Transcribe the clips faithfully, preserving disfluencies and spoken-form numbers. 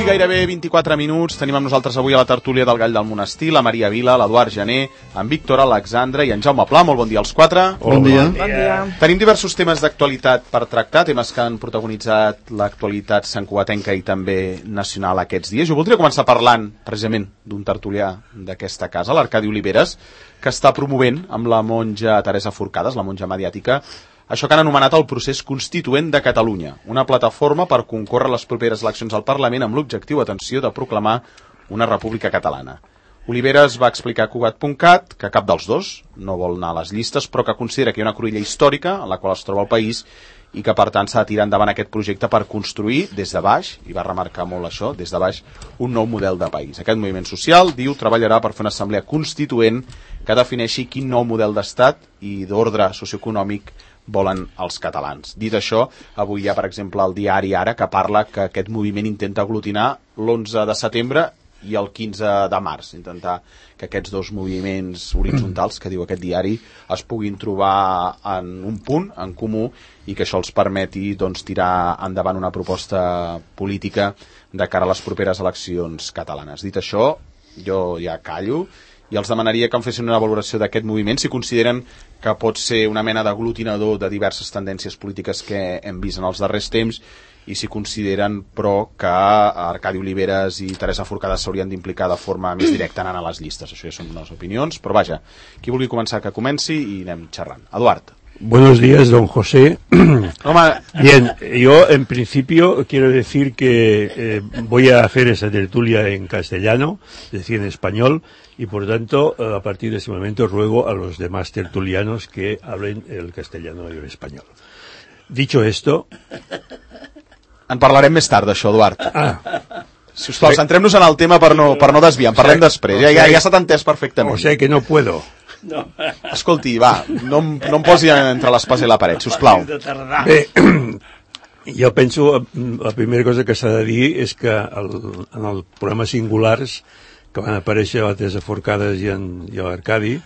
gairebé vint-i-quatre minuts. Tenim amb nosaltres avui a la tertúlia del Gall del Monestir la Maria Vila, l'Eduard Gené, en Víctor Alexandre i en Jaume Pla. Molt bon dia als quatre. Bon dia. Bon dia. Tenim diversos temes d'actualitat per tractar, temes que han protagonitzat l'actualitat santcugatenca i també nacional aquests dies. Jo voldria començar parlant precisament d'un tertulià d'aquesta casa, l'Arcadi Oliveres, que està promovent amb la monja Teresa Forcades, la monja mediàtica, això que han anomenat el procés constituent de Catalunya, una plataforma per concórrer a les properes eleccions al Parlament amb l'objectiu, atenció, de proclamar una república catalana. Oliveres va explicar a Cugat punt cat que cap dels dos no vol anar a les llistes, però que considera que hi ha una cruïlla històrica en la qual es troba el país i que per tant s'ha de tirar endavant aquest projecte per construir des de baix, i va remarcar molt això, des de baix, un nou model de país. Aquest moviment social, diu, treballarà per fer una assemblea constituent que defineixi quin nou model d'estat i d'ordre socioeconòmic volen els catalans. Dit això, avui hi ha, per exemple, el diari Ara, que parla que aquest moviment intenta aglutinar l'onze de setembre i el quinze de març, intentar que aquests dos moviments horitzontals, que diu aquest diari, es puguin trobar en un punt en comú i que això els permeti doncs, tirar endavant una proposta política de cara a les properes eleccions catalanes. Dit això, jo ja callo i els demanaria que em fessin una valoració d'aquest moviment, si consideren que pot ser una mena d'aglutinador de diverses tendències polítiques que hem vist en els darrers temps, i si consideren, però, que Arcadi Oliveres i Teresa Forcades s'haurien d'implicar de forma més directa anant a les llistes. Això ja són unes opinions, però vaja, qui vulgui començar que comenci i anem xerrant. Eduard. Buenos días, don José. Home. Bien, yo en principio quiero decir que eh, voy a hacer esa tertulia en castellano, es decir, en español, y por tanto, a partir de este momento ruego a los demás tertulianos que hablen el castellano y el español. Dicho esto... En parlarem més tard d'això, Eduard. Ah. Si us plau, centrem-nos en el tema per no, per no desviar, en parlem després, ja, ja, ja s'ha entès perfectament. O sea que no puedo. No. Escolti, va, no, em- no em posi entre l'espasa i la paret, si us plau. Bé, jo penso, la primera cosa que s'ha de dir és que el, en el programa Singulars, que van aparèixer a la Teresa Forcades i, en, i a l'Arcadi,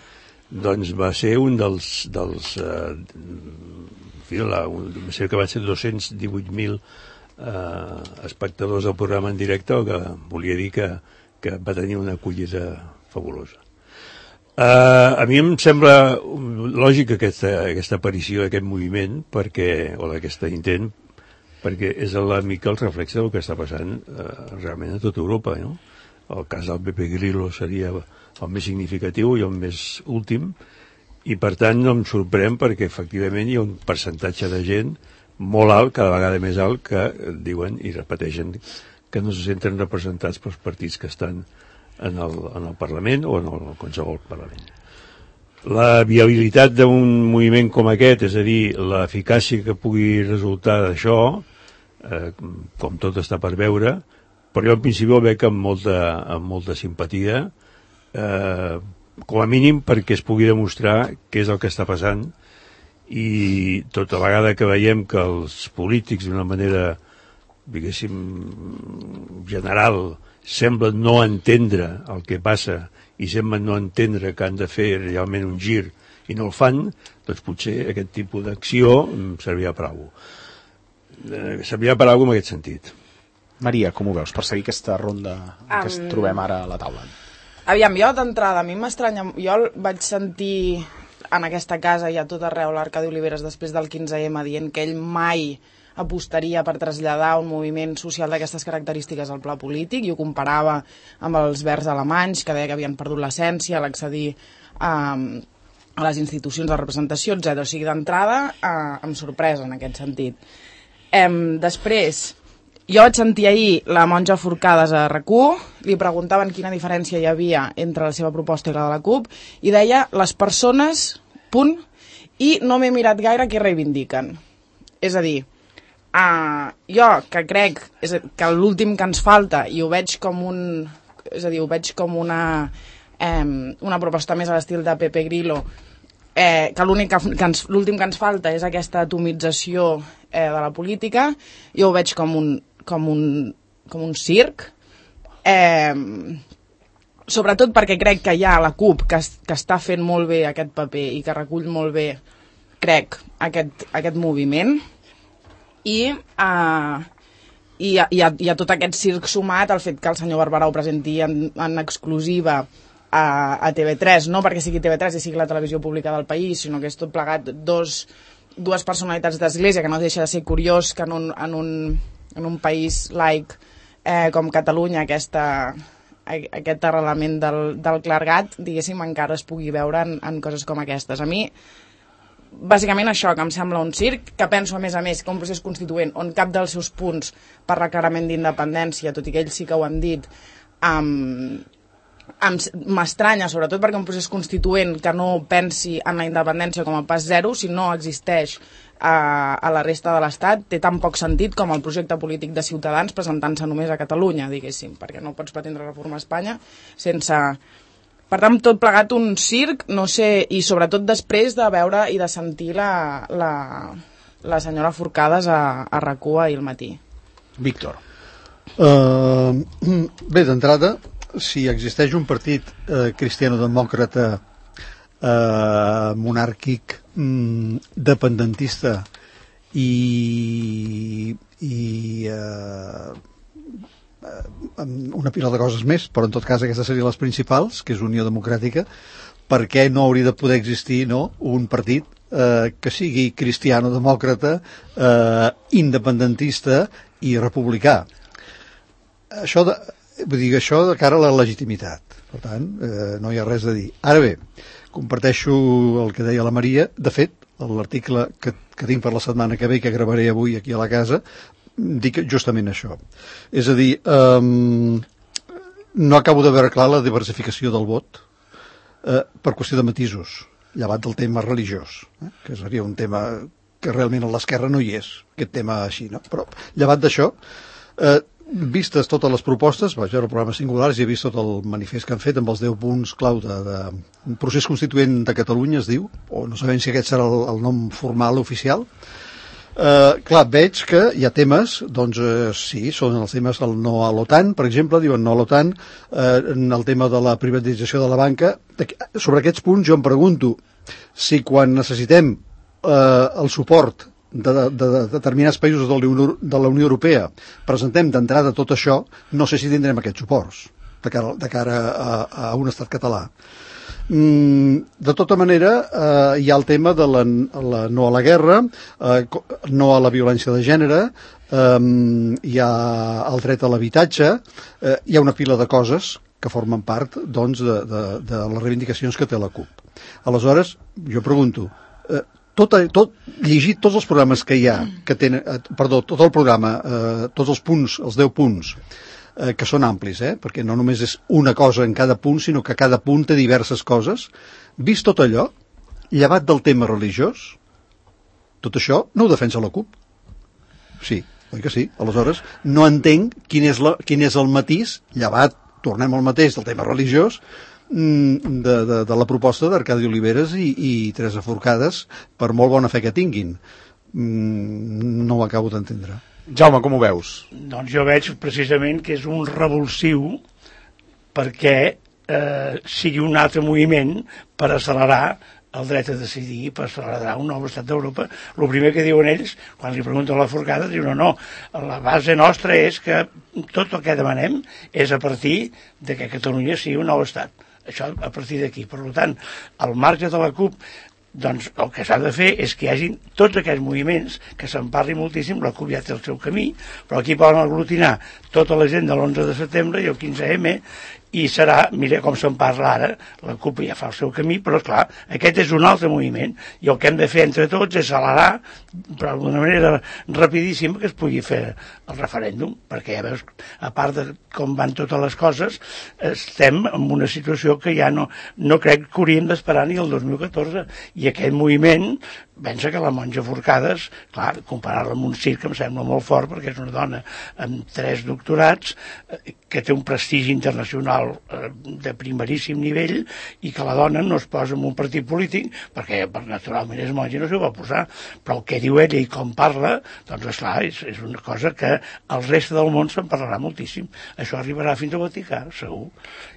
doncs va ser un dels... dels eh, en fi, la, un, sé que va ser dos-cents divuit mil eh, espectadors del programa en directe, el que volia dir que, que va tenir una acollida fabulosa. Uh, a mi em sembla lògic aquesta, aquesta aparició d'aquest moviment, perquè, o d'aquest intent, perquè és la mica el reflex del que està passant uh, realment a tota Europa, no? El cas del Pepe Grillo seria el més significatiu i el més últim, i per tant no em sorprèn perquè efectivament hi ha un percentatge de gent molt alt, cada vegada més alt, que diuen i repeteixen que no se senten representats pels partits que estan en el, en el Parlament o en el qualsevol Parlament. La viabilitat d'un moviment com aquest, és a dir, l'eficàcia que pugui resultar d'això, eh, com tot està per veure, però jo en principi ho veig amb molta, amb molta simpatia, eh, com a mínim perquè es pugui demostrar què és el que està passant, i tota vegada que veiem que els polítics d'una manera, diguéssim, general, semblen no entendre el que passa i semblen no entendre que han de fer realment un gir i no el fan, doncs potser aquest tipus d'acció servirà per alguna cosa. Servirà per alguna cosa en aquest sentit. Maria, com ho veus, per seguir aquesta ronda que ens trobem ara a la taula? Aviam, jo d'entrada, a mi m'estranya... Jo el vaig sentir en aquesta casa i a tot arreu l'Arcadi Oliveres després del quinze eme dient que ell mai apostaria per traslladar un moviment social d'aquestes característiques al pla polític, i ho comparava amb els verds alemanys, que deia que havien perdut l'essència a l'accedir a, a les institucions de representació, etcètera. O sigui, d'entrada, eh, amb sorpresa en aquest sentit. Eh, després, jo vaig sentir ahir la monja Forcades a R Q, li preguntaven quina diferència hi havia entre la seva proposta i la de la CUP, i deia les persones, punt, i no m'he mirat gaire què reivindiquen. És a dir, Uh, jo que crec és que l'últim que ens falta, i ho veig com un és a dir, ho veig com una um, una proposta més a l'estil de Pepe Grillo, eh, que l'únic que, que ens, l'últim que ens falta és aquesta atomització eh, de la política. Jo ho veig com un com un, com un circ, eh, sobretot perquè crec que hi ha la CUP que, que està fent molt bé aquest paper i que recull molt bé, crec, aquest, aquest moviment. I, uh, i hi ha, hi ha, hi ha tot aquest circ sumat al fet que el senyor Barberà ho presenti en, en exclusiva a, a T V tres, no perquè sigui T V tres i sigui la televisió pública del país, sinó que és tot plegat dos, dues personalitats d'església, que no deixa de ser curiós que en un, en un, en un país laic eh, com Catalunya aquesta, aquest arrelament del, del clergat, diguéssim, encara es pugui veure en, en coses com aquestes. A mi bàsicament això, que em sembla un circ, que penso a més a més que un procés constituent on cap dels seus punts per reclarament d'independència, tot i que ells sí que ho han dit, um, m'estranya, sobretot perquè un procés constituent que no pensi en la independència com a pas zero, si no existeix a, a la resta de l'Estat, té tan poc sentit com el projecte polític de Ciutadans presentant-se només a Catalunya, diguéssim, perquè no pots pretendre reformar Espanya sense... Per tant, tot plegat un circ, no sé, i sobretot després de veure i de sentir la, la, la senyora Forcades a, a RAC u ahir al matí. Víctor. Uh, bé, d'entrada, si existeix un partit uh, cristiano-demòcrata uh, monàrquic, um, dependentista i... i uh, una pila de coses més, però en tot cas aquestes serien les principals, que és Unió Democràtica, per què no hauria de poder existir, no, un partit eh, que sigui cristiano-demòcrata, eh, independentista i republicà. Això de, vull dir, això de cara a la legitimitat. Per tant, eh, no hi ha res a dir. Ara bé, comparteixo el que deia la Maria. De fet, l'article que, que tinc per la setmana que ve, que gravaré avui aquí a la casa, dic justament això. És a dir, um, no acabo de veure clar la diversificació del vot eh, per qüestió de matisos, llevat del tema religiós, eh, que seria un tema que realment a l'esquerra no hi és, aquest tema així, no? Però llevat d'això, eh, vistes totes les propostes, vaig veure el programa Singulars i he vist tot el manifest que han fet amb els deu punts clau de, de procés constituent de Catalunya, es diu, o no sabem si aquest serà el, el nom formal oficial. Uh, clar, veig que hi ha temes, doncs uh, sí, són els temes del no a l'OTAN, per exemple, diuen no a l'OTAN, uh, el tema de la privatització de la banca. Sobre aquests punts jo em pregunto si quan necessitem uh, el suport de, de, de determinats països de la, Unió, de la Unió Europea presentem d'entrada tot això, no sé si tindrem aquests suports de cara, de cara a, a un estat català. De tota manera, eh, hi ha el tema de la, la no a la guerra, eh, no a la violència de gènere, eh, hi ha el dret a l'habitatge, eh, hi ha una pila de coses que formen part, doncs, de, de, de les reivindicacions que té la CUP. Aleshores, jo pregunto, eh, tot, tot, llegit tots els programes que hi ha, que tenen, eh, perdó, tot el programa, eh, tots els punts, els deu punts, Eh, que són amplis, eh? Perquè no només és una cosa en cada punt, sinó que cada punt té diverses coses. Vist tot allò, llevat del tema religiós, tot això no ho defensa la CUP. Sí, oi que sí? Aleshores, no entenc quin és, la, quin és el matís, llevat, tornem al mateix, del tema religiós, de, de, de la proposta d'Arcadi Oliveres i, i Teresa Forcades, per molt bona fe que tinguin. No ho acabo d'entendre. Jaume, com ho veus? Doncs jo veig precisament que és un revulsiu perquè eh, sigui un altre moviment per accelerar el dret a decidir, per accelerar un nou estat d'Europa. El primer que diuen ells, quan li pregunten a la Forcada, diuen no, no, la base nostra és que tot el que demanem és a partir de que Catalunya sigui un nou estat. Això a partir d'aquí. Per tant, al marge de la CUP, doncs el que s'ha de fer és que hi hagi tots aquests moviments, que se'n parli moltíssim, la CUP ja té el seu camí, però aquí poden aglutinar tota la gent de l'onze de setembre i el quinze eme, i serà, mira com se'n parla ara, la CUP ja fa el seu camí, però esclar, aquest és un altre moviment, i el que hem de fer entre tots és accelerar, però d'una manera rapidíssima, que es pugui fer el referèndum, perquè ja veus, a part de com van totes les coses, estem en una situació que ja no, no crec que hauríem d'esperar ni el dos mil catorze, i aquest moviment, pensa que la monja Forcades, clar, comparar-la amb un circ em sembla molt fort, perquè és una dona amb tres doctorats, que té un prestigi internacional de primeríssim nivell, i que la dona no es posa en un partit polític, perquè naturalment és monja i no s'ho va posar, però el que diu ella i com parla, doncs esclar, és, és una cosa que el reste del món se'n parlarà moltíssim. Això arribarà fins al Vaticà, segur.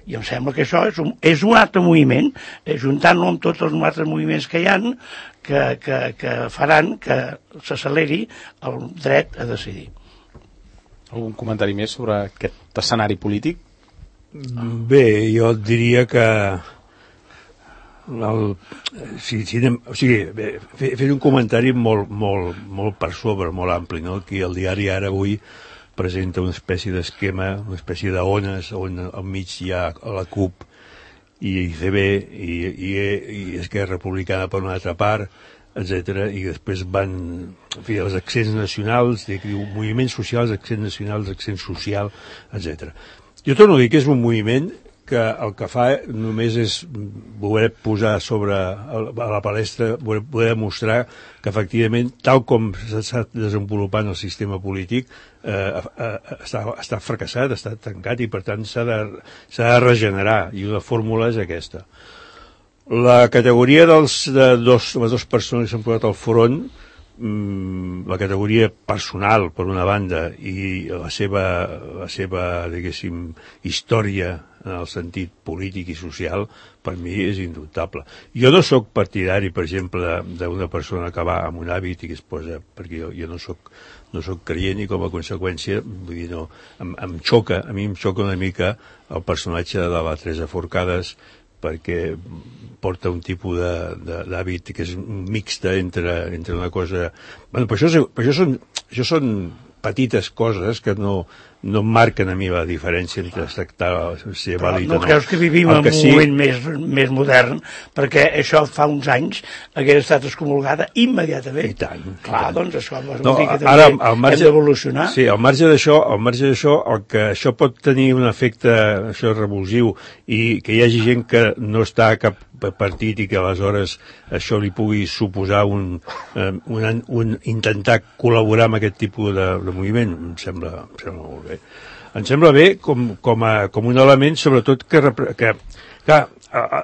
I em sembla que això és un, és un altre moviment, juntant-lo amb tots els altres moviments que hi ha, que, que, que faran que s'acceleri el dret a decidir. Algun comentari més sobre aquest escenari polític? Bé, jo diria que el, si, si anem, o sigui, bé, fer, fer un comentari molt, molt, molt per sobre, molt ampli, no? Aquí el diari Ara avui presenta una espècie d'esquema, una espècie d'ones on al mig hi ha la CUP i I C B i, i, i Esquerra Republicana per una altra part, etcètera, i després van, en fi, els accents nacionals, diu, moviments socials, accents nacionals, accent social, etcètera. Jo torno a dir que és un moviment que el que fa només és voler posar sobre a la palestra, voler demostrar que efectivament, tal com s'està desenvolupant el sistema polític, eh, eh, està, està fracassat, està tancat i per tant s'ha de, s'ha de regenerar, i la fórmula és aquesta. La categoria dels, de dos, les dues persones que s'han posat al front, mmm, la categoria personal per una banda i la seva, la seva diguéssim, història en el sentit polític i social, per mi és indubtable. Jo no sóc partidari, per exemple, d'una persona que va amb un hàbit i que es posa, perquè jo, jo no sóc no sóc creient i com a conseqüència, vull dir, no, em, em xoca, a mi em xoca una mica el personatge de la Teresa Forcades, perquè porta un tipus d'hàbit que és mixta entre, entre una cosa... Bueno, però això, però això, són, això són petites coses que no, no marquen a mi la diferència entre tractar ser vàlid o no. No creus que vivim en un sí... moment més, més modern, perquè això fa uns anys hagués estat excomulgada immediatament. I tant. Clar, i tant. doncs això vol no, dir que també ara, al marge, hem d'evolucionar. Sí, al marge d'això, al marge d'això, el que això pot tenir un efecte això revulsiu i que hi hagi gent que no està a cap partit i que aleshores això li pugui suposar un, un, un intentar col·laborar amb aquest tipus de, de moviment, em sembla, em sembla molt bé. Em sembla bé com, com, a, com un element, sobretot, que, que, que a, a,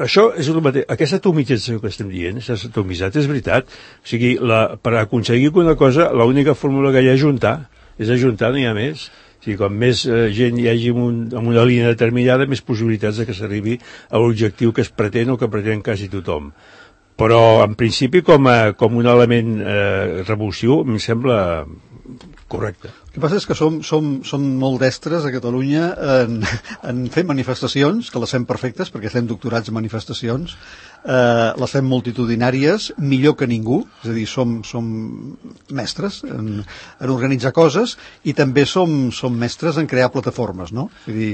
això és el mateix. Aquesta atomització que estem dient, aquesta atomitzat, és veritat. O sigui, la, per aconseguir una cosa, l'única fórmula que hi ha és ajuntar. És ajuntar, no hi ha més. O sigui, com més eh, gent hi hagi en, un, en una línia determinada, més possibilitats de que s'arribi a l'objectiu que es pretén o que pretén quasi tothom. Però, en principi, com, a, com un element eh, revulsiu, em sembla correcte. El que passa és que som, som, som molt destres a Catalunya en, en fer manifestacions, que les fem perfectes, perquè estem doctorats en manifestacions, eh, les fem multitudinàries, millor que ningú, és a dir, som, som mestres en, en organitzar coses, i també som, som mestres en crear plataformes, no? Vull dir,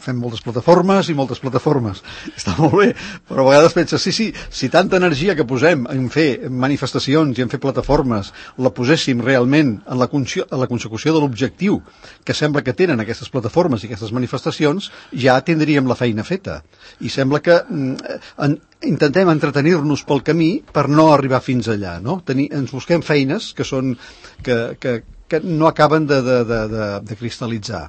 fem moltes plataformes i moltes plataformes. Està molt bé, però a vegades penses, sí, sí, si tanta energia que posem en fer manifestacions i en fer plataformes la poséssim realment en la, en la consecució de l'objectiu que sembla que tenen aquestes plataformes i aquestes manifestacions, ja tindríem la feina feta. I sembla que en, intentem entretenir-nos pel camí per no arribar fins allà, no? Tenir, ens busquem feines que són que, que, que no acaben de, de, de, de, de cristal·litzar.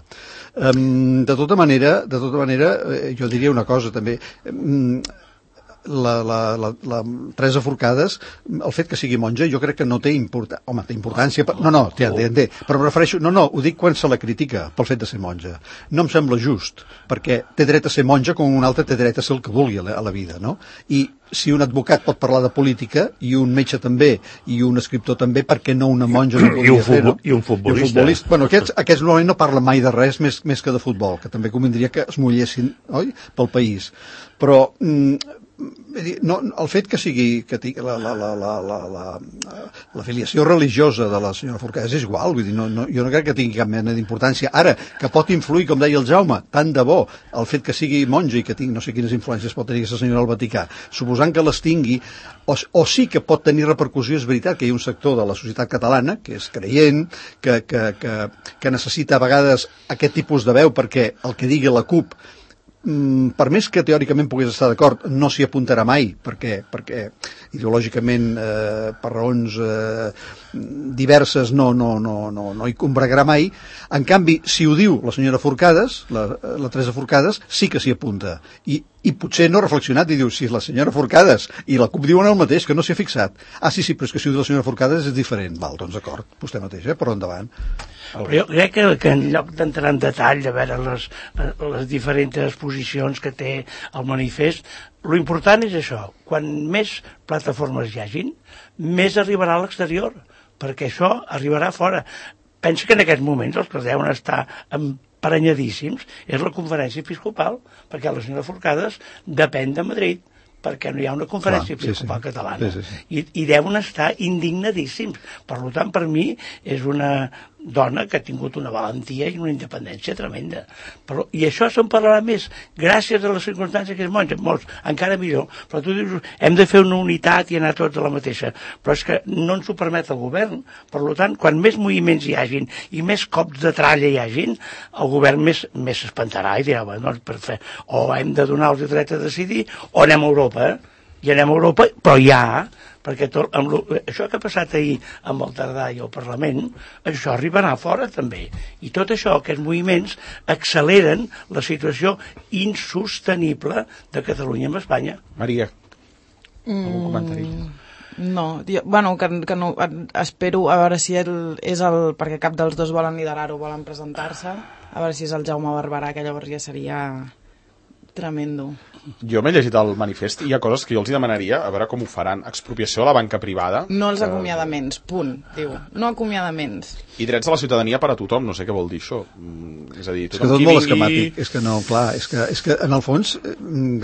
Um, de tota manera, de tota manera, jo diria una cosa també. Um, La, la, la, la Teresa Forcades, el fet que sigui monja jo crec que no té importància, home, té importància, per... no, no, té, té, té, però em refereixo, no, no, ho dic quan se la critica pel fet de ser monja, no em sembla just, perquè té dret a ser monja com un altre té dret a ser el que vulgui a la, a la vida, no? I si un advocat pot parlar de política, i un metge també, i un escriptor també, per què no una monja no podria fer, no? I un futbolista. I un futbolista. Bueno, aquests, aquests normalment no parlen mai de res més, més que de futbol, que també convindria que es mullessin, oi?, pel país. Però... Mm, no, el fet que sigui que tingui la, la, la, la, la, la, la filiació religiosa de la senyora Forcades és igual, vull dir, no, no, jo no crec que tingui cap mena d'importància. Ara, que pot influir, com deia el Jaume, tant de bo el fet que sigui monja i que tingui no sé quines influències pot tenir aquesta senyora al Vaticà, suposant que les tingui, o, o sí que pot tenir repercussió, és veritat que hi ha un sector de la societat catalana que és creient, que, que, que, que necessita a vegades aquest tipus de veu perquè el que digui la CUP, per més que teòricament pogués estar d'acord, no s'hi apuntarà mai, perquè, perquè ideològicament, eh, per raons eh, diverses, no, no, no, no, no hi combregarà mai. En canvi, si ho diu la senyora Forcades, la, la Teresa Forcades, sí que s'hi apunta. I, i potser no ha reflexionat i diu, si la senyora Forcades i la CUP diuen el mateix, que no s'hi ha fixat. Ah, sí, sí, però és que si ho diu la senyora Forcades és diferent. Val, doncs d'acord, vostè mateix, eh? Però endavant. Però jo crec que, que en lloc d'entrar en detall a veure les, les diferents posicions que té el manifest, lo important és això, quan més plataformes hi hagin, més arribarà a l'exterior, perquè això arribarà fora. pensa que en aquests moments els que deuen estar emprenyadíssims és la conferència episcopal, perquè la senyora Forcades depèn de Madrid, perquè no hi ha una conferència Clar, sí, episcopal sí. catalana. Sí, sí, sí. I, I deuen estar indignadíssims. Per tant, per mi, és una dona que ha tingut una valentia i una independència tremenda. Però, I això se'n parlarà més gràcies a les circumstàncies que es mongen, molts, encara millor. Però tu dius, hem de fer una unitat i anar tots a la mateixa. Però és que no ens ho permet el govern. Per tant, quan més moviments hi hagin i més cops de tralla hi hagin, el govern més més s'espantarà i dirà, bueno, per fer, o hem de donar el dret a decidir o anem a Europa. Eh? I anem a Europa, però ja, perquè tot, amb lo, això que ha passat ahir amb el Tardà i el Parlament, això arribarà fora també. I tot això, aquests moviments, acceleren la situació insostenible de Catalunya amb Espanya. Maria, algun comentari? No, jo, bueno, que, que no, espero a veure si el, és el, perquè cap dels dos volen liderar-ho, volen presentar-se, a veure si és el Jaume Barberà, que llavors ja seria tremendo. Jo m'he llegit el manifest i hi ha coses que jo els hi demanaria a veure com ho faran. Expropiació a la banca privada. No els que... acomiadaments, punt, diu. No acomiadaments. I drets a la ciutadania per a tothom, no sé què vol dir això. Mm, és a dir, És que tothom tot qui molt vingui... esquemàtic. És que no, clar, és que, és que en el fons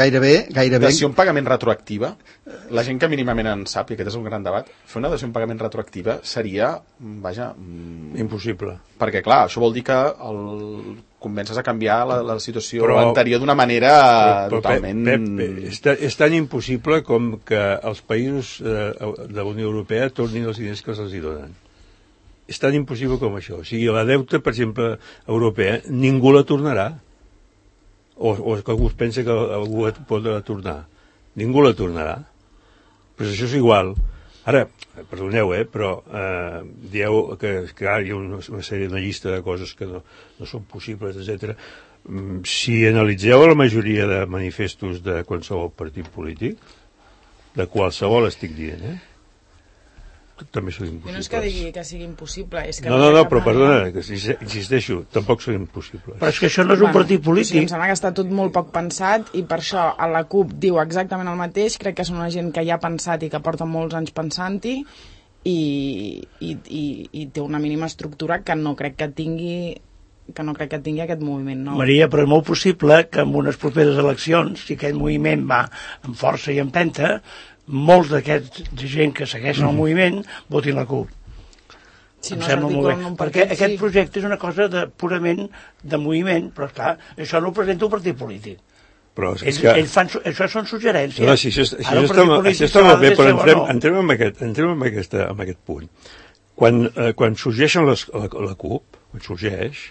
gairebé... gairebé... Dació en pagament retroactiva, la gent que mínimament en sap, i aquest és un gran debat, fer una dació en pagament retroactiva seria, vaja... Mm, impossible. perquè, clar, això vol dir que el convences a canviar la, la situació però, anterior d'una manera però, però, totalment... Pep, Pep, és, tan, és tan impossible com que els països eh, de la Unió Europea tornin els diners que se'ls donen. És tan impossible com això. O sigui, la deuta, per exemple, europea, ningú la tornarà. O, o que algú es pensa que algú pot tornar. Ningú la tornarà. Però això és igual. Ara, perdoneu, eh, però eh, dieu que, que hi ha una, una sèrie, una llista de coses que no, no són possibles, etcètera. Si analitzeu la majoria de manifestos de qualsevol partit polític, de qualsevol estic dient, eh, també són impossibles. I no és que digui que sigui impossible, és que... No, no, no, però perdona, que insisteixo, tampoc són impossibles. Però és que això no és un partit polític. Sí, em sembla que està tot molt poc pensat i per això a la CUP diu exactament el mateix, crec que són una gent que ja ha pensat i que porta molts anys pensant-hi i, i, i, i té una mínima estructura que no crec que tingui que no crec que tingui aquest moviment nou. Maria, però és molt possible que en unes properes eleccions, si aquest moviment va amb força i empenta, molts d'aquests gent que segueixen el moviment votin la CUP. Si em no sembla molt bé, un perquè partit, aquest sí. projecte és una cosa de, purament de moviment, però clar, això no ho presenta un partit polític. Però és ells, que... ells fan, això són suggerències. No, no, si això, això, Ara, això, està, això està molt bé, però entrem, no. entrem, en aquest, entrem en, aquesta, en aquest punt. Quan, eh, quan sorgeixen les, la, la CUP, quan sorgeix,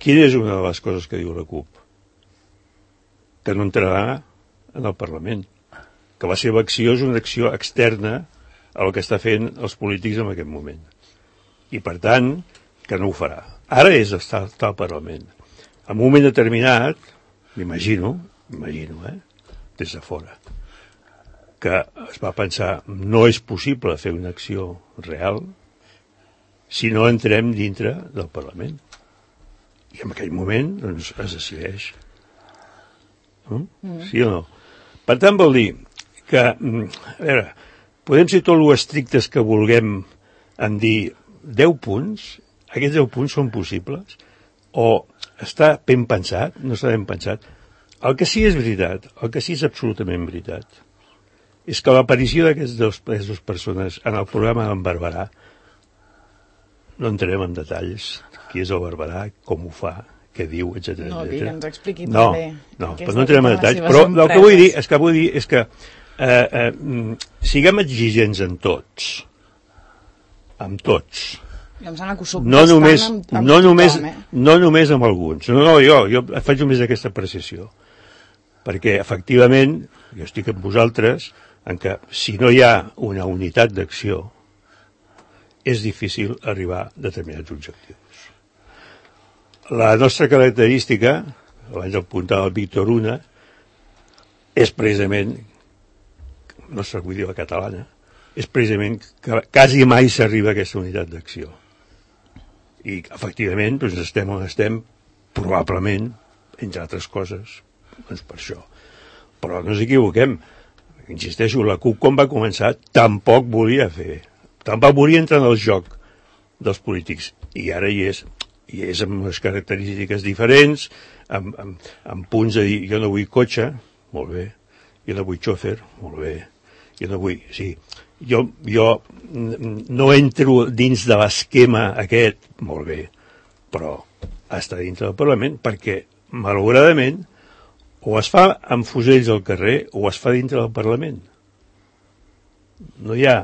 quina és una de les coses que diu la CUP? Que no entrarà en el Parlament. Que la seva acció és una acció externa al que està fent els polítics en aquest moment. I, per tant, que no ho farà. Ara és estar, estar al Parlament. En un moment determinat, m'imagino, m'imagino, eh, des de fora, que es va pensar no és possible fer una acció real si no entrem dintre del Parlament. I en aquell moment doncs, es decideix. No? Mm. Sí o no? Per tant, vol dir que, a veure, podem ser tot lo estrictes que vulguem en dir deu punts, aquests deu punts són possibles, o està ben pensat, no està ben pensat. El que sí és veritat, el que sí és absolutament veritat, és que l'aparició d'aquestes dues, dues persones en el programa d'en Barberà, no entrem en detalls, qui és el Barberà, com ho fa, què diu, etcètera. No, que ens expliqui no, també. no, però no entrem en detalls, però el que vull dir és que vull dir és que eh, eh, siguem exigents en tots, amb tots. I em sembla que ho soc no només, amb, amb no, tothom, només, eh? no només amb alguns. No, no, jo, jo faig només aquesta apreciació. Perquè, efectivament, jo estic amb vosaltres en què si no hi ha una unitat d'acció és difícil arribar a determinats objectius. La nostra característica, abans apuntava el Víctor Una, és precisament, la nostra idioma catalana, és precisament que quasi mai s'arriba a aquesta unitat d'acció. I, efectivament, doncs estem on estem, probablement, entre altres coses, doncs per això. Però no ens equivoquem. Insisteixo, la CUP, quan va començar, tampoc volia fer. Tampoc volia entrar en el joc dels polítics. i ara hi és, i és amb unes característiques diferents, amb, amb, amb punts de dir, jo no vull cotxe, molt bé, jo no vull xòfer, molt bé, jo no vull, sí, jo, jo no entro dins de l'esquema aquest, molt bé, però està dintre del Parlament, perquè, malauradament, o es fa amb fusells al carrer o es fa dintre del Parlament. No hi ha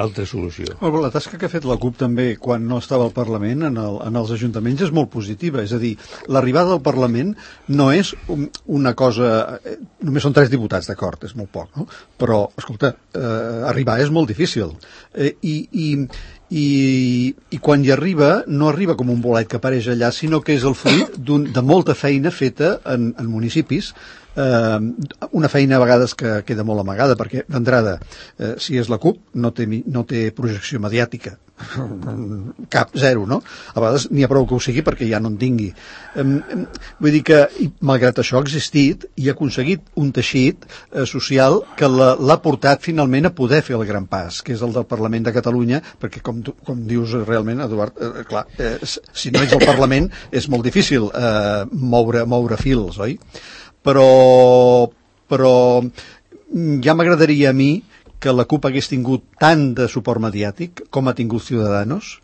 altra solució. La tasca que ha fet la CUP també quan no estava al Parlament en, el, en els ajuntaments és molt positiva, és a dir, l'arribada al Parlament no és un, una cosa, eh, només són tres diputats, d'acord, és molt poc, no? Però, escolta, eh, arribar és molt difícil, eh, i, i, i, i quan hi arriba no arriba com un bolet que apareix allà, sinó que és el fruit de molta feina feta en, en municipis, eh, una feina a vegades que queda molt amagada, perquè d'entrada, eh, si és la CUP, no té, no té projecció mediàtica, cap, zero, no? A vegades n'hi ha prou que ho sigui perquè ja no en tingui. Eh, vull dir que, malgrat això, ha existit i ha aconseguit un teixit eh, social que l'ha portat finalment a poder fer el gran pas, que és el del Parlament de Catalunya, perquè com, tu, com dius realment, Eduard, eh, clar, eh, si no ets al Parlament és molt difícil eh, moure, moure fils, oi? Però, però ja m'agradaria a mi que la CUP hagués tingut tant de suport mediàtic com ha tingut Ciudadanos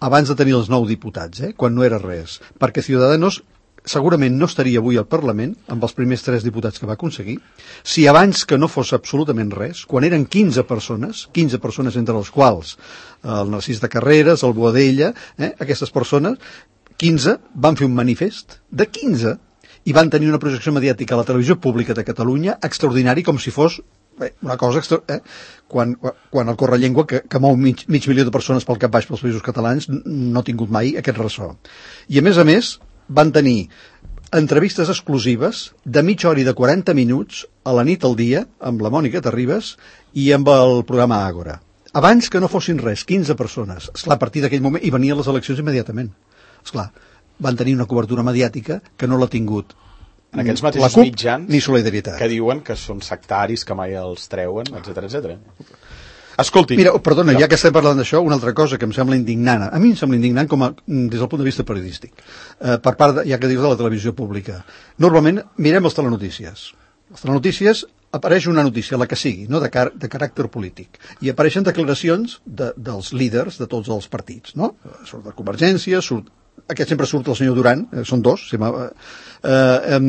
abans de tenir els nou diputats, eh? Quan no era res. Perquè Ciudadanos segurament no estaria avui al Parlament amb els primers tres diputats que va aconseguir si abans que no fos absolutament res, quan eren quinze persones, quinze persones entre les quals el Narcís de Carreras, el Boadella, eh? Aquestes persones, quinze van fer un manifest de quinze i van tenir una projecció mediàtica a la televisió pública de Catalunya extraordinari, com si fos bé, una cosa extra... Eh? Quan, quan el Correllengua, que, que mou mig, mig milió de persones pel cap baix pels països catalans, no ha tingut mai aquest ressò. I a més a més van tenir entrevistes exclusives de mitja hora i de quaranta minuts a la nit al dia amb la Mònica Terribas i amb el programa Àgora. Abans que no fossin res, quinze persones. Esclar, a partir d'aquell moment, i venien les eleccions immediatament. Esclar, van tenir una cobertura mediàtica que no l'ha tingut en aquests mateixos la CUP mitjans ni Solidaritat, que diuen que són sectaris, que mai els treuen, etcètera, etcètera. Escolti... Mira, perdona, ja que estem parlant d'això, una altra cosa que em sembla indignant, a mi em sembla indignant com a, des del punt de vista periodístic, eh, per part, de, ja que dius, de la televisió pública. Normalment mirem els telenotícies. Les telenotícies apareix una notícia, la que sigui, no? de, car de caràcter polític, i apareixen declaracions de, dels líders de tots els partits, no? Surt de Convergència, surt aquest sempre surt el senyor Duran, eh, són dos, si eh, eh,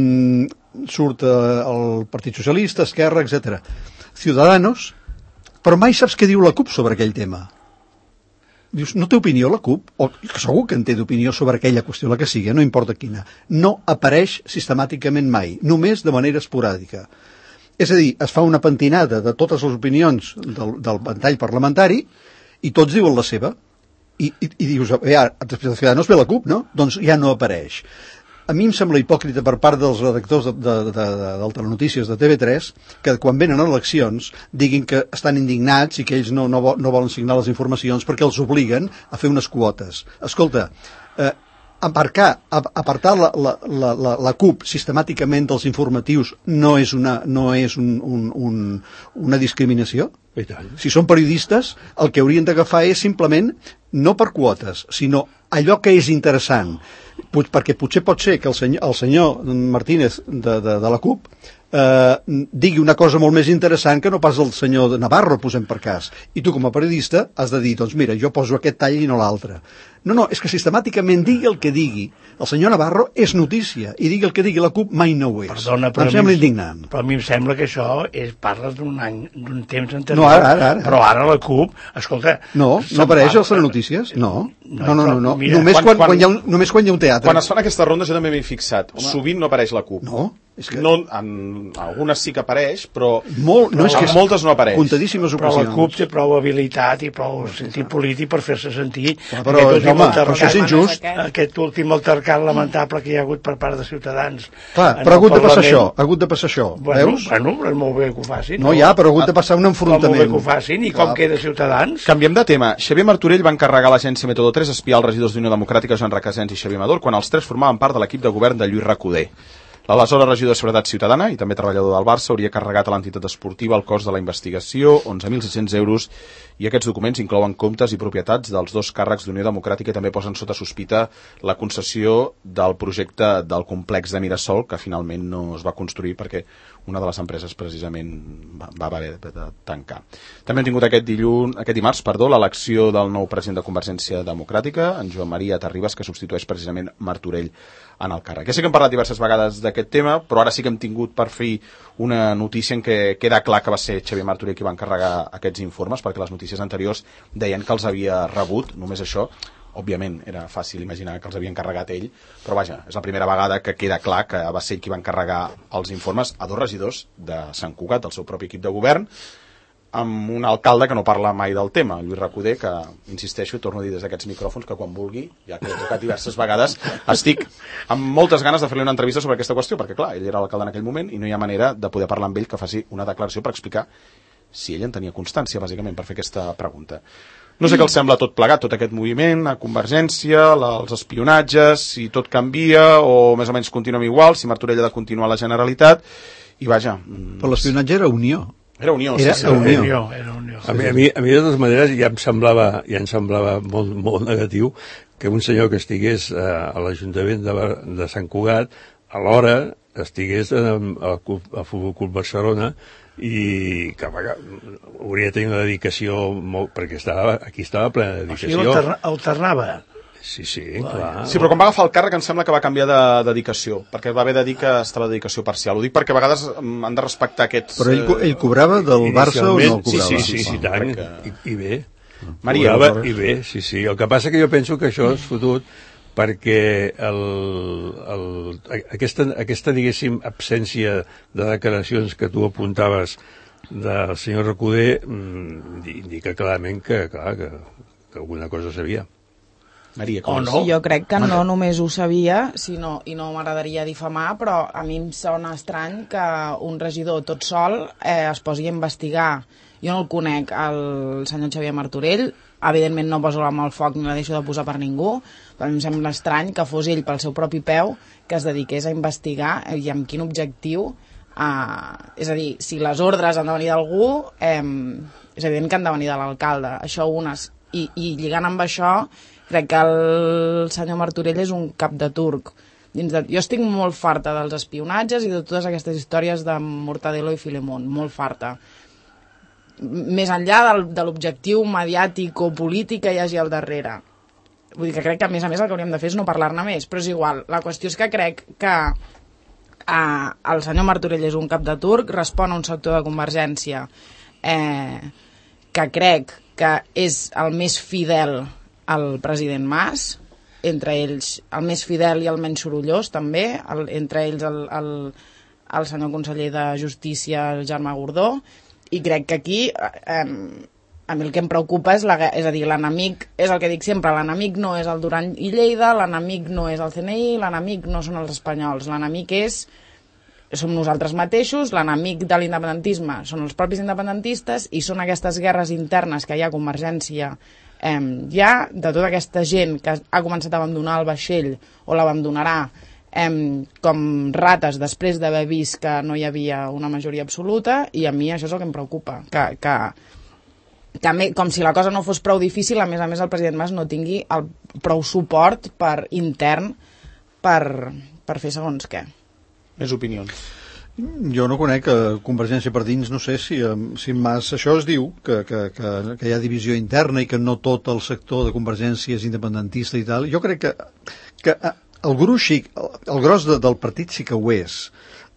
surt eh, el Partit Socialista, Esquerra, etcètera. Ciudadanos, però mai saps què diu la CUP sobre aquell tema. Dius, no té opinió la CUP? O segur que en té d'opinió sobre aquella qüestió, la que sigui, no importa quina. No apareix sistemàticament mai, només de manera esporàdica. És a dir, es fa una pentinada de totes les opinions del, del ventall parlamentari i tots diuen la seva. I, i, i dius, ja, després de Ciudadanos ve la CUP, no? Doncs ja no apareix. A mi em sembla hipòcrita per part dels redactors de, de, de, de, del Telenotícies de T V tres que quan venen eleccions diguin que estan indignats i que ells no, no, no volen signar les informacions perquè els obliguen a fer unes quotes. Escolta, eh, aparcar, apartar la, la, la, la, la CUP sistemàticament dels informatius no és una, no és un, un, un, una discriminació? Si són periodistes, el que haurien d'agafar és simplement, no per quotes, sinó allò que és interessant, perquè potser pot ser que el senyor, el senyor Martínez de, de, de la CUP eh, digui una cosa molt més interessant que no pas el senyor Navarro, posem per cas. I tu com a periodista has de dir, doncs mira, jo poso aquest tall i no l'altre. No, no, és que sistemàticament digui el que digui el senyor Navarro és notícia i digui el que digui la CUP mai no ho és. Perdona, però em sembla indignant. Però a mi em sembla que això és, parles d'un any, d'un temps anterior. No, ara, ara, ara. Però ara la CUP, escolta... No, no apareix a les notícies? No. No, no, no. no. Mira, només, quan, quan, quan, hi ha un, només quan hi ha un teatre. Quan es fan aquestes rondes jo també m'he fixat. Home. Sovint no apareix la CUP. No, és que... No, en algunes sí que apareix, però Molt, no, és que en moltes no apareix. Contadíssimes però ocasions. la CUP té prou habilitat i prou sentit polític per fer-se sentir. Ah, però, home, però això és injust. Aquest últim altercat lamentable que hi ha hagut per part de Ciutadans. Clar, però ha hagut de passar això, ha hagut de passar això, bueno, veus? Bueno, és molt bé que ho facin. No, ja, però ha hagut de passar un enfrontament. Molt bé que ho facin, i com Clar. Queda Ciutadans? Canviem de tema. Xavier Martorell va encarregar a l'agència Método tres espiar els regidors d'Unió Democràtica Joan Recasens i Xavier Amador quan els tres formaven part de l'equip de govern de Lluís Recoder. L'aleshores regidor de Seguretat Ciutadana i també treballador del Barça hauria carregat a l'entitat esportiva el cost de la investigació, onze mil sis-cents euros, i aquests documents inclouen comptes i propietats dels dos càrrecs d'Unió Democràtica i també posen sota sospita la concessió del projecte del complex de Mirasol, que finalment no es va construir perquè una de les empreses precisament va, va haver de tancar. També hem tingut aquest, dilluns, aquest dimarts perdó, l'elecció del nou president de Convergència Democràtica, en Joan Maria Terribas, que substitueix precisament Martorell en el càrrec. Ja sé que hem parlat diverses vegades d'aquest tema, però ara sí que hem tingut per fi una notícia en què queda clar que va ser Xavier Martorell qui va encarregar aquests informes, perquè les notícies anteriors deien que els havia rebut, només això. Òbviament era fàcil imaginar que els havia encarregat ell, però vaja, és la primera vegada que queda clar que va ser ell qui va encarregar els informes a dos regidors de Sant Cugat, del seu propi equip de govern, amb un alcalde que no parla mai del tema, Lluís Recoder, que, insisteixo, torno a dir des d'aquests micròfons que quan vulgui, ja que he tocat diverses vegades, estic amb moltes ganes de fer-li una entrevista sobre aquesta qüestió, perquè clar, ell era l'alcalde en aquell moment i no hi ha manera de poder parlar amb ell que faci una declaració per explicar si ell en tenia constància, bàsicament, per fer aquesta pregunta. No sé què els sembla tot plegat, tot aquest moviment, a Convergència, la, els espionatges, si tot canvia o més o menys continuem igual, si Martorell ha de continuar a la Generalitat, i vaja... Però l'espionatge era Unió. Era Unió, era sí, sí. Unió. Unió, era Unió. A mi, a mi, a mi de totes maneres, ja em semblava, ja em semblava molt, molt negatiu que un senyor que estigués eh, a l'Ajuntament de, de Sant Cugat, alhora estigués a, a, a Futbol Club Barcelona, i que hauria de tenir una dedicació molt, perquè estava, aquí estava plena de dedicació. O sigui, alterna, alternava. Sí, sí, clar. Sí, però quan va agafar el càrrec em sembla que va canviar de dedicació, perquè va haver de dir que estava de dedicació parcial. Ho dic perquè a vegades han de respectar aquests... Però ell, ell cobrava del Barça o no el cobrava? Sí, sí, sí, sí, tant, que... i, i bé. Maria, cobrava, i bé, sí, sí. El que passa que jo penso que això és fotut perquè el, el, aquesta, aquesta, diguéssim, absència de declaracions que tu apuntaves del senyor Recoder indica clarament que, clar, que, que alguna cosa sabia. Maria, com o no? Jo crec que no només ho sabia, sinó, i no m'agradaria difamar, però a mi em sona estrany que un regidor tot sol eh, es posi a investigar. Jo no el conec, el senyor Xavier Martorell, evidentment no poso la mà al foc ni la deixo de posar per ningú, però em sembla estrany que fos ell pel seu propi peu que es dediqués a investigar i amb quin objectiu. Eh, és a dir, si les ordres han de venir d'algú, eh, és evident que han de venir de l'alcalde, això unes. I, i lligant amb això, crec que el senyor Martorell és un cap de turc. Dins de... Jo estic molt farta dels espionatges i de totes aquestes històries de Mortadelo i Filemón, molt farta. Més enllà del, de l'objectiu mediàtic o polític que hi hagi al darrere. Vull dir que crec que a més a més el que hauríem de fer és no parlar-ne més, però és igual. La qüestió és que crec que eh, el senyor Martorell és un cap de turc, respon a un sector de Convergència eh, que crec que és el més fidel al president Mas, entre ells el més fidel i el menys sorollós també, el, entre ells el, el, el senyor conseller de Justícia, Jaume Gordó, i crec que aquí eh, a mi el que em preocupa és, la, és a dir, l'enemic, és el que dic sempre, l'enemic no és el Duran i Lleida, l'enemic no és el C N I, l'enemic no són els espanyols, l'enemic és som nosaltres mateixos, l'enemic de l'independentisme són els propis independentistes i són aquestes guerres internes que hi ha a Convergència eh, ja, de tota aquesta gent que ha començat a abandonar el vaixell o l'abandonarà eh, com rates després d'haver vist que no hi havia una majoria absoluta, i a mi això és el que em preocupa, que, que, que me, com si la cosa no fos prou difícil, a més a més el president Mas no tingui el prou suport per intern per, per fer segons què. Més opinions. Jo no conec que Convergència per dins, no sé si, si Mas això es diu, que, que, que, que hi ha divisió interna i que no tot el sector de Convergència és independentista i tal. Jo crec que, que el gruix, el, el gros de, del partit sí que ho és.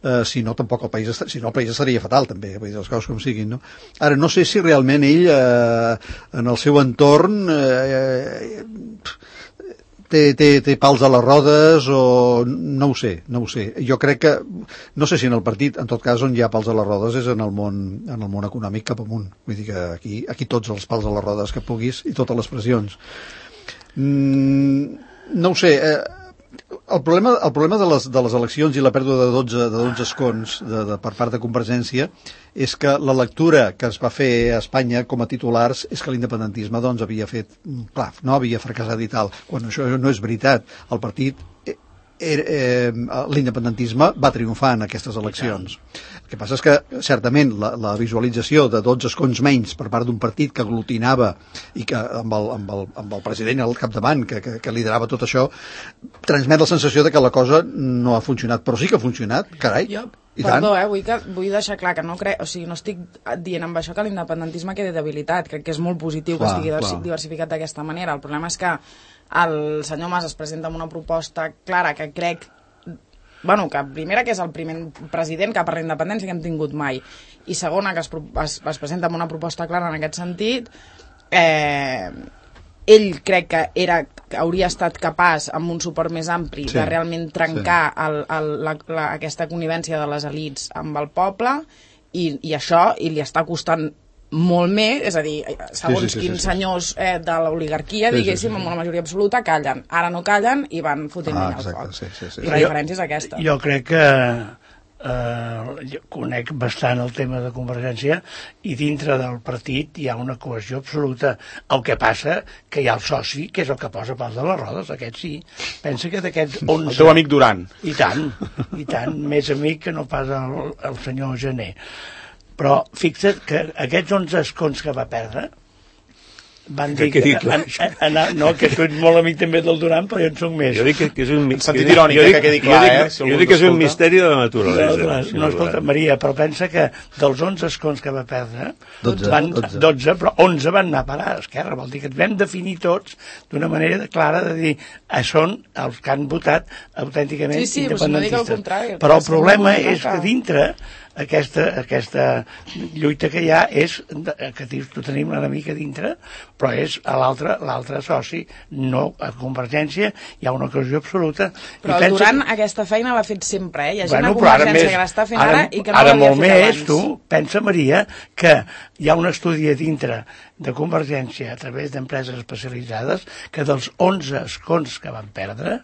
Uh, si no, tampoc el país, si no, el país estaria fatal també, vull dir, les coses com siguin, no? Ara, no sé si realment ell uh, en el seu entorn uh, té, té, té pals a les rodes o no ho sé, no ho sé. Jo crec que, no sé si en el partit, en tot cas on hi ha pals a les rodes és en el món, en el món econòmic cap amunt. Vull dir que aquí, aquí tots els pals a les rodes que puguis i totes les pressions. Mm, no ho sé, eh, el problema, el problema de, les, de les eleccions i la pèrdua de dotze, de dotze escons de, de, per part de Convergència és que la lectura que es va fer a Espanya com a titulars és que l'independentisme doncs, havia fet plaf, no havia fracassat i tal, quan això no és veritat. El partit eh, l'independentisme va triomfar en aquestes eleccions. El que passa és que, certament, la, la visualització de dotze escons menys per part d'un partit que aglutinava i que amb el, amb el, amb el president al capdavant, que, que, que liderava tot això, transmet la sensació de que la cosa no ha funcionat, però sí que ha funcionat, carai. Jo, I perdó, tant. eh, vull, que, vull deixar clar que no crec, o sigui, no estic dient amb això que l'independentisme quedi debilitat, crec que és molt positiu Clar, que estigui clar. diversificat d'aquesta manera. El problema és que el senyor Mas es presenta amb una proposta clara que crec, bueno, que primera que és el primer president que per la independència que hem tingut mai, i segona que es, es, es presenta amb una proposta clara en aquest sentit, eh, ell crec que era que hauria estat capaç, amb un suport més ampli, sí, de realment trencar sí. el, el, la, la, aquesta connivència de les elits amb el poble, i, i això i li està costant molt més, és a dir, segons sí, sí, sí, quins sí, sí. senyors eh, de l'oligarquia, sí, diguéssim, sí, sí, sí. amb una majoria absoluta, callen. Ara no callen i van fotent ah, al foc. Sí, sí, sí. I la diferència és aquesta. Jo, jo crec que eh, jo conec bastant el tema de Convergència i dintre del partit hi ha una cohesió absoluta. El que passa que hi ha el soci, que és el que posa pals a les rodes, aquest sí. Pensa que d'aquests onze... El teu amic Duran. I tant, i tant, més amic que no pas el, el senyor Gené. Però fixa't que aquests onze escons que va perdre van dir que, que, que, que anar, no, que tu ets molt amic també del Duran, però jo en soc més. Jo dic que, que és un en sentit irònic, que quedi clar, jo dic, eh? Si jo dic que és un misteri de la naturalesa. No, no, no, escolta, Maria, però pensa que dels onze escons que va perdre, dotze, van, dotze. dotze, però onze van anar a parar a Esquerra. Vol dir que ens vam definir tots d'una manera clara de dir eh, són els que han votat autènticament sí, sí, independentistes. No contrari, però el problema no és que dintre aquesta, aquesta lluita que hi ha és que dius, tu tenim l'enemic a dintre, però és a l'altre l'altre soci, no a Convergència, hi ha una ocasió absoluta. Però el Duran que... aquesta feina l'ha fet sempre, eh? Hi ha gent bueno, a Convergència més, que l'està fent ara, ara i que no ara l'havia molt fet més, abans. Tu, pensa, Maria, que hi ha un estudi a dintre de Convergència a través d'empreses especialitzades que dels onze escons que van perdre,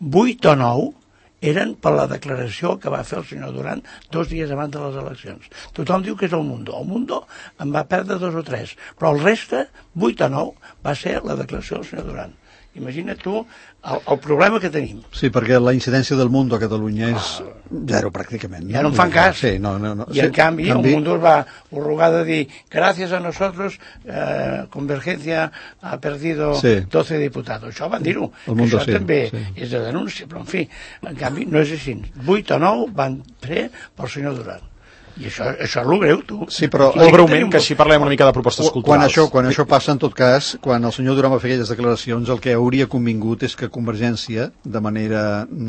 vuit o nou eren per la declaració que va fer el senyor Duran dos dies abans de les eleccions. Tothom diu que és el Mundo. El Mundo en va perdre dos o tres, però el reste, vuit o nou, va ser la declaració del senyor Duran. Imagina't tu el, el problema que tenim. Sí, perquè la incidència del Mundo a Catalunya és zero, pràcticament. Ja no en fan cas. Sí, no, no, no. I sí, en canvi, canvi, el Mundo va arrugar de dir, gràcies a nosotros, eh, Convergencia ha perdido sí. doce diputados. Això van dir-ho. Això sí, també sí. és de denúncia, però en fi, en canvi no és així. Vuit o nou van fer pel senyor Duran. I això, això és el greu, tu. Sí, però... Molt breument, que així parlem una mica de propostes culturals. Quan això, quan això passa, en tot cas, quan el senyor Duran va fer aquelles declaracions, el que hauria convingut és que Convergència, de manera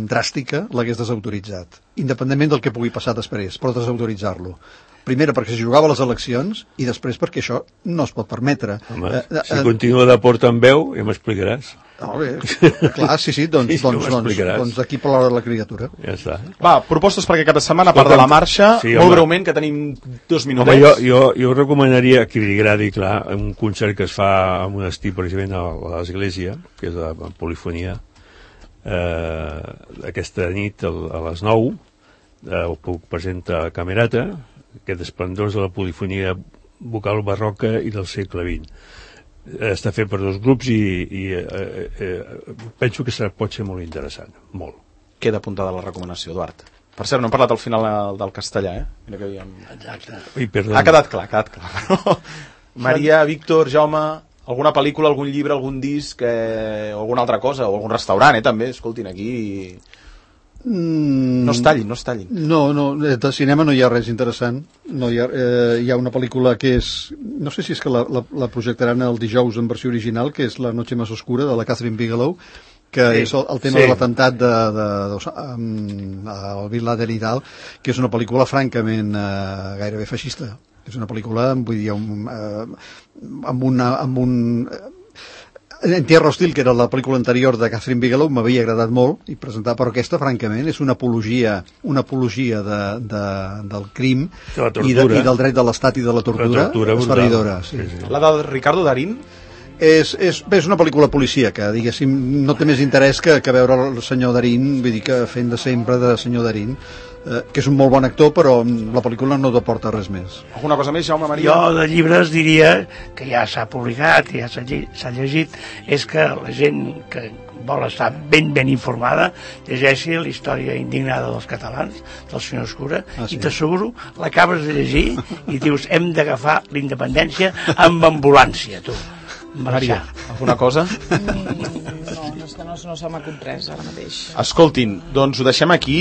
dràstica, l'hagués desautoritzat. Independentment del que pugui passar després, però desautoritzar-lo. Primera, perquè s'hi jugava a les eleccions, i després perquè això no es pot permetre. Home, eh, si eh, continua de porta en veu, ja m'explicaràs. No, bé, clar, sí, sí, doncs, sí, doncs, doncs, doncs d'aquí per l'hora de la criatura. Ja està. Va, propostes perquè cada setmana, a part de la marxa, sí, molt breument, que tenim dos minutets. Home, jo, jo, jo recomanaria, que li agradi, clar, un concert que es fa a un estiu, precisament, a l'església, que és la polifonia, eh, aquesta nit a les nou, eh, ho puc presentar a Camerata, aquest esplendors de la polifonia vocal barroca i del segle vint. Està fet per dos grups i, i eh, eh, penso que serà, pot ser molt interessant, molt. Queda apuntada la recomanació, Eduard. Per cert, no hem parlat al final del castellà, eh? Mira que havíem... Exacte. Ui, ha quedat clar, ha quedat clar. Maria, Víctor, Jaume, alguna pel·lícula, algun llibre, algun disc, eh, o alguna altra cosa, o algun restaurant, eh, també, escoltin, aquí... Mm, no es tallin, no es tallin. No, no, de cinema no hi ha res interessant. No hi ha, eh, hi ha una pel·lícula que és... No sé si és que la, la, la projectaran el dijous en versió original, que és La noche más oscura, de la Catherine Bigelow, que sí, és el, el tema sí. de l'atemptat de, de, de, de, um, el Bin Laden i tal, que és una pel·lícula francament eh, gairebé feixista. És una pel·lícula, vull dir, un, eh, amb, una, amb un... En Tierra Hostil, que era la pel·lícula anterior de Catherine Bigelow, m'havia agradat molt, i presentar, però aquesta, francament, és una apologia, una apologia de, de, del crim de i, de, i del dret de l'estat i de la tortura, la tortura esfereïdora. Sí. Sí, sí. La de Ricardo Darín? és, és, bé, és una pel·lícula policíaca, diguéssim, no té més interès que, que veure el senyor Darín, vull dir que fent de sempre de senyor Darín, eh, que és un molt bon actor, però la pel·lícula no t'aporta res més. Alguna cosa més, Jaume Maria? Jo de llibres diria, que ja s'ha publicat, ja s'ha llegit, és que la gent que vol estar ben ben informada, llegeixi la història indignada dels catalans, del senyor Escura, ah, sí. I t'asseguro, l'acabes de llegir i dius, hem d'agafar la independència amb ambulància, tu. Maria, alguna cosa? Mm, no, no, és que no, no se m'acut res ara mateix. Escoltin, doncs ho deixem aquí,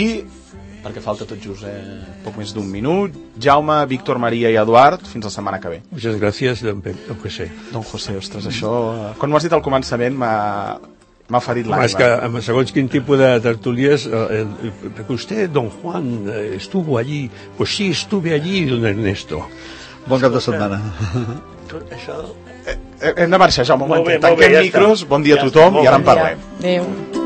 perquè falta tot just eh, poc més d'un minut. Jaume, Víctor, Maria i Eduard, fins la setmana que ve. Muchas gracias, don José. Don José, ostres, això... Quan m'ho has dit al començament m'ha... m'ha ferit l'ànima. És que amb segons quin tipus de tertulies, eh, eh, usted, don Juan, eh, estuvo allí. Pues sí, estuve allí, don Ernesto. Bon cap de setmana. Tot això... Eh, hem de marxar, Jaume, un moment. Tanquem micros, bon dia a tothom i ara en parlem. Adéu.